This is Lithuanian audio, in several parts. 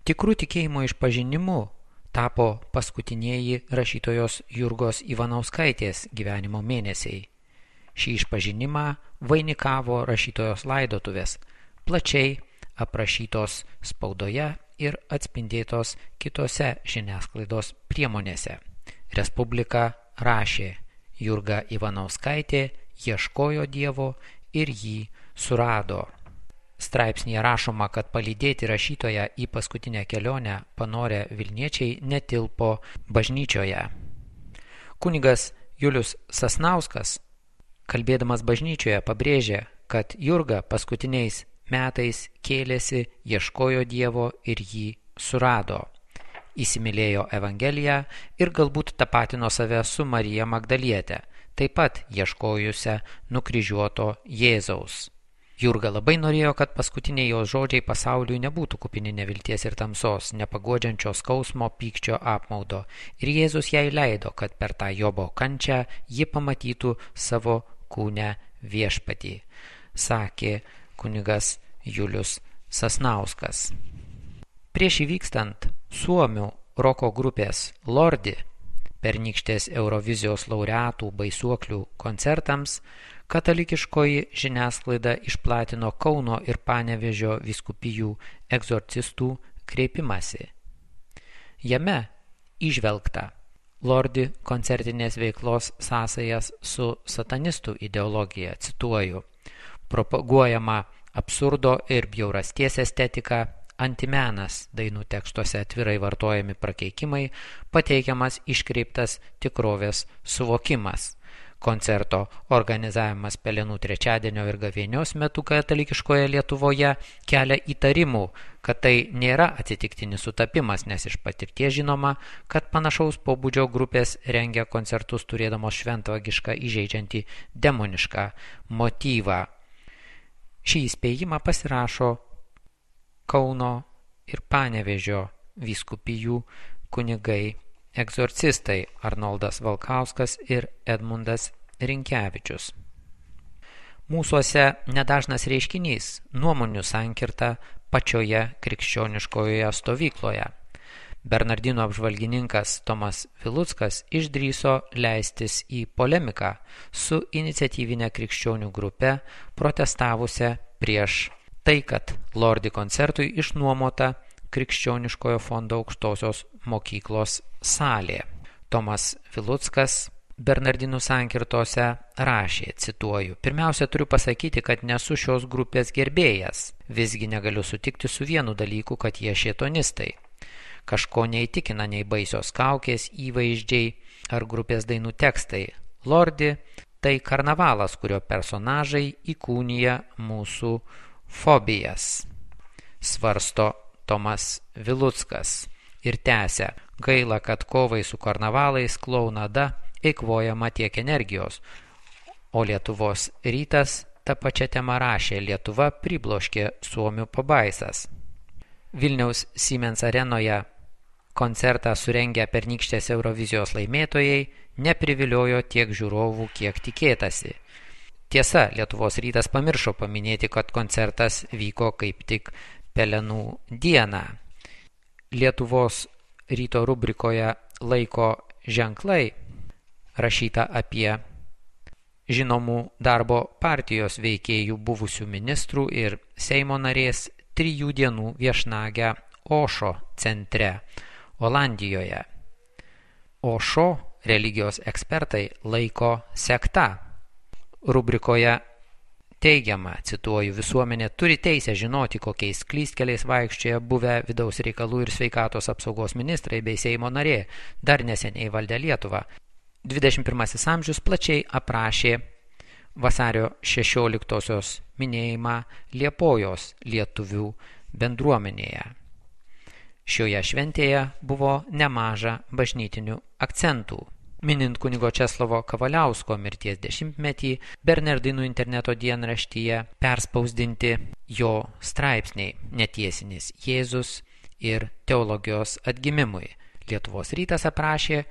Tikrų tikėjimo išpažinimu tapo paskutinieji rašytojos Jurgos Ivanauskaitės gyvenimo mėnesiai. Šį išpažinimą vainikavo rašytojos laidotuvės, plačiai aprašytos spaudoje ir atspindėtos kitose žiniasklaidos priemonėse. Respublika rašė: Jurga Ivanauskaitė ieškojo Dievo ir jį surado. Straipsnyje rašoma, kad palydėti rašytoją į paskutinę kelionę panorę Vilniečiai netilpo bažnyčioje. Kunigas Julius Sasnauskas, kalbėdamas bažnyčioje, pabrėžė, kad Jurga paskutiniais metais kėlėsi, ieškojo Dievo ir jį surado. Įsimylėjo Evangeliją ir galbūt tapatino save su Marija Magdaliete, taip pat ieškojusią nukryžiuoto Jėzaus. Jurga labai norėjo, kad paskutiniai jos žodžiai pasauliui nebūtų kupini nevilties ir tamsos, nepaguodžiančio skausmo, pykčio, apmaudo. Ir Jėzus jai leido, kad per tą Jobo kančią ji pamatytų savo kūne viešpatį, sakė kunigas Julius Sasnauskas. Prieš įvykstant suomių roko grupės Lordi pernykštės Eurovizijos laureatų Baisuoklių koncertams, katalikiškoji žiniasklaida išplatino Kauno ir Panevėžio vyskupijų egzorcistų kreipimąsi. Jame įžvelgta Lordi koncertinės veiklos sąsajas su satanistų ideologija, cituoju: propaguojama absurdo ir bjaurasties estetika, antimenas, dainų tekstuose atvirai vartojami prakeikimai, pateikiamas iškreiptas tikrovės suvokimas. Koncerto organizavimas Pelenų trečiadienio ir gavėnios metu katalikiškoje Lietuvoje kelia įtarimų, kad tai nėra atsitiktinis sutapimas, nes iš patirties žinoma, kad panašaus pobūdžio grupės rengia koncertus turėdamos šventvagišką įžeidžiantį demonišką motyvą. Šį įspėjimą pasirašo Kauno ir Panevėžio vyskupijų kunigai egzorcistai Arnoldas Valkauskas ir Edmundas Rinkevičius. Mūsuose nedažnas reiškinys nuomonių sankirta pačioje krikščioniškoje stovykloje. Bernardinų apžvalgininkas Tomas Viluckas išdrįso leistis į polemiką su iniciatyvinė krikščionių grupe protestavusią prieš tai, kad Lordi koncertui išnuomota Krikščioniškojo fondo aukštosios mokyklos salė. Tomas Viluckas Bernardinų sankirtose rašė, cituoju: pirmiausia, turiu pasakyti, kad nesu šios grupės gerbėjas. Visgi negaliu sutikti su vienu dalyku, kad jie šėtonistai. Kažko neįtikina nei baisios kaukės, įvaizdžiai ar grupės dainų tekstai. Lordi tai karnavalas, kurio personažai įkūnija mūsų fobijas, svarsto Tomas Viluckas ir tęsia: gaila, kad kovai su karnavalais, klounada eikvojama tiek energijos. O Lietuvos rytas tą pačią temą rašė: Lietuva pribloškė suomių pabaisas. Vilniaus Siemens arenoje koncertą surengę pernykštės Eurovizijos laimėtojai nepriviliojo tiek žiūrovų, kiek tikėtasi. Tiesa, Lietuvos rytas pamiršo paminėti, kad koncertas vyko kaip tik Pelenų dieną. Lietuvos ryto rubrikoje Laiko ženklai rašyta apie žinomų darbo partijos veikėjų buvusių ministrų ir Seimo narės 3 dienų viešnagę Ošo centre, Olandijoje. Ošo religijos ekspertai laiko sekta. Rubrikoje teigiama, cituoju: visuomenė turi teisę žinoti, kokiais klystkeliais vaikščioja buvę vidaus reikalų ir sveikatos apsaugos ministrai bei Seimo narė, dar neseniai valdę Lietuvą. 21 amžius plačiai aprašė vasario 16-osios minėjimą Liepojos lietuvių bendruomenėje. Šioje šventėje buvo nemaža bažnytinių akcentų. Minint kunigo Česlovo Kavaliausko mirties 10-metį, Bernardinų interneto dienraštyje perspausdinti jo straipsniai Netiesinis Jėzus ir teologijos atgimimui. Lietuvos rytas aprašė,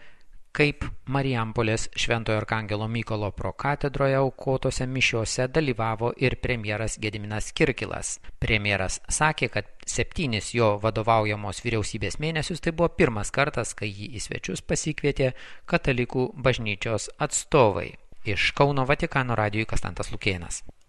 kaip Marijampolės Šventojo Arkangelo Mykolo prokatedroje aukotose mišiose dalyvavo ir premjeras Gediminas Kirkilas. Premjeras sakė, kad 7 jo vadovaujamos vyriausybės mėnesius tai buvo pirmas kartas, kai jį į svečius pasikvietė katalikų bažnyčios atstovai. Iš Kauno Vatikano radijui Konstantas Lukėnas.